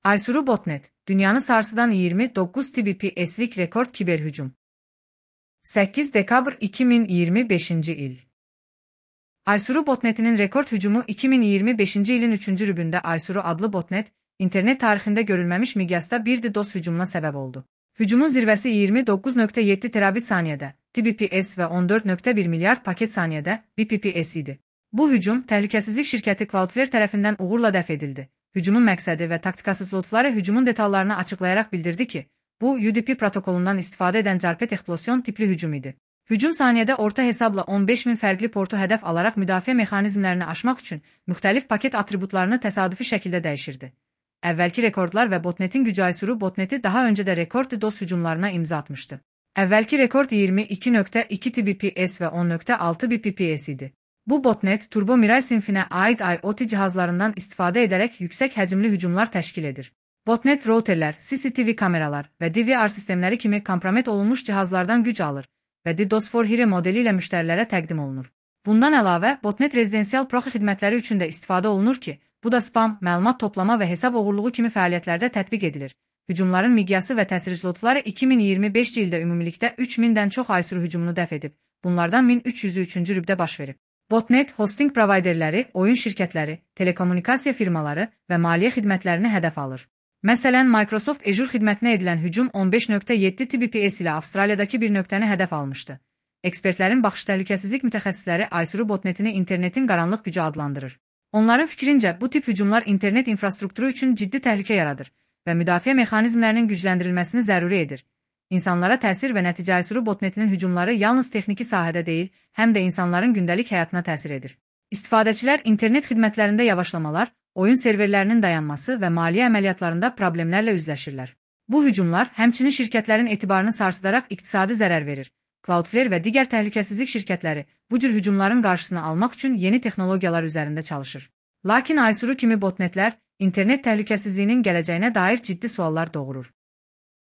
Aysuru Botnet, dünyanı sarsıdan 29 Tbps'lik rekord kiberhücum. 8 dekabr 2025 il. Aysuru Botnet'inin rekord hücumu 2025 ilin 3. rübündə Aysuru adlı botnet, internet tarixində görülməmiş miqyasda bir DDoS hücumuna səbəb oldu. Hücumun zirvəsi 29.7 terabit saniyədə, Tbps və 14.1 milyard paket saniyədə, Bpps idi. Bu hücum, təhlükəsizlik şirkəti Cloudflare tərəfindən uğurla dəf edildi. Hücumun məqsədi və taktikası slotları hücumun detallarını açıqlayaraq bildirdi ki, bu UDP protokolundan istifadə edən carpet eksplosiyon tipli hücum idi. Hücum saniyədə orta hesabla 15.000 fərqli portu hədəf alaraq müdafiə mexanizmlərini aşmaq üçün müxtəlif paket atributlarını təsadüfi şəkildə dəyişirdi. Əvvəlki rekordlar və botnetin gücü Aysuru botneti daha öncə də rekord DDoS hücumlarına imza atmışdı. Əvvəlki rekord 22.2 Tbps və 10.6 Bpps idi. Bu botnet, Turbo Mirai sinfinə aid IoT cihazlarından istifadə edərək yüksək həcmli hücumlar təşkil edir. Botnet routerlər, CCTV kameralar və DVR sistemləri kimi kompromet olunmuş cihazlardan güc alır və DDoS for Hire modeli ilə müştərilərə təqdim olunur. Bundan əlavə, botnet rezidensial proxi xidmətləri üçün də istifadə olunur ki, bu da spam, məlumat toplama və hesab oğurluğu kimi fəaliyyətlərdə tətbiq edilir. Hücumların miqyası və təsir slotları 2025 ildə ümumilikdə 3000-dən çox Aysuru hücumunu dəf edib, bunlardan 1300-ü 3-cü rübdə baş verib. Botnet, hosting provayderləri, oyun şirkətləri, telekommunikasiya firmaları və maliyyə xidmətlərini hədəf alır. Məsələn, Microsoft Azure xidmətinə edilən hücum 15.7 Tbps ilə Avstraliyadakı bir nöqtəni hədəf almışdı. Ekspertlərin baxış təhlükəsizlik mütəxəssisləri Aysuru botnetini internetin qaranlıq gücü adlandırır. Onların fikrincə, bu tip hücumlar internet infrastrukturu üçün ciddi təhlükə yaradır və müdafiə mexanizmlərinin gücləndirilməsini zəruri edir. İnsanlara təsir və nəticə Aysuru botnetinin hücumları yalnız texniki sahədə deyil, həm də insanların gündəlik həyatına təsir edir. İstifadəçilər internet xidmətlərində yavaşlamalar, oyun serverlərinin dayanması və maliyyə əməliyyatlarında problemlərlə üzləşirlər. Bu hücumlar həmçinin şirkətlərin etibarını sarsıdaraq iqtisadi zərər verir. Cloudflare və digər təhlükəsizlik şirkətləri bu cür hücumların qarşısını almaq üçün yeni texnologiyalar üzərində çalışır. Lakin Aysuru kimi botnetlər internet təhlükəsizliyinin gələcəyinə dair ciddi suallar doğurur.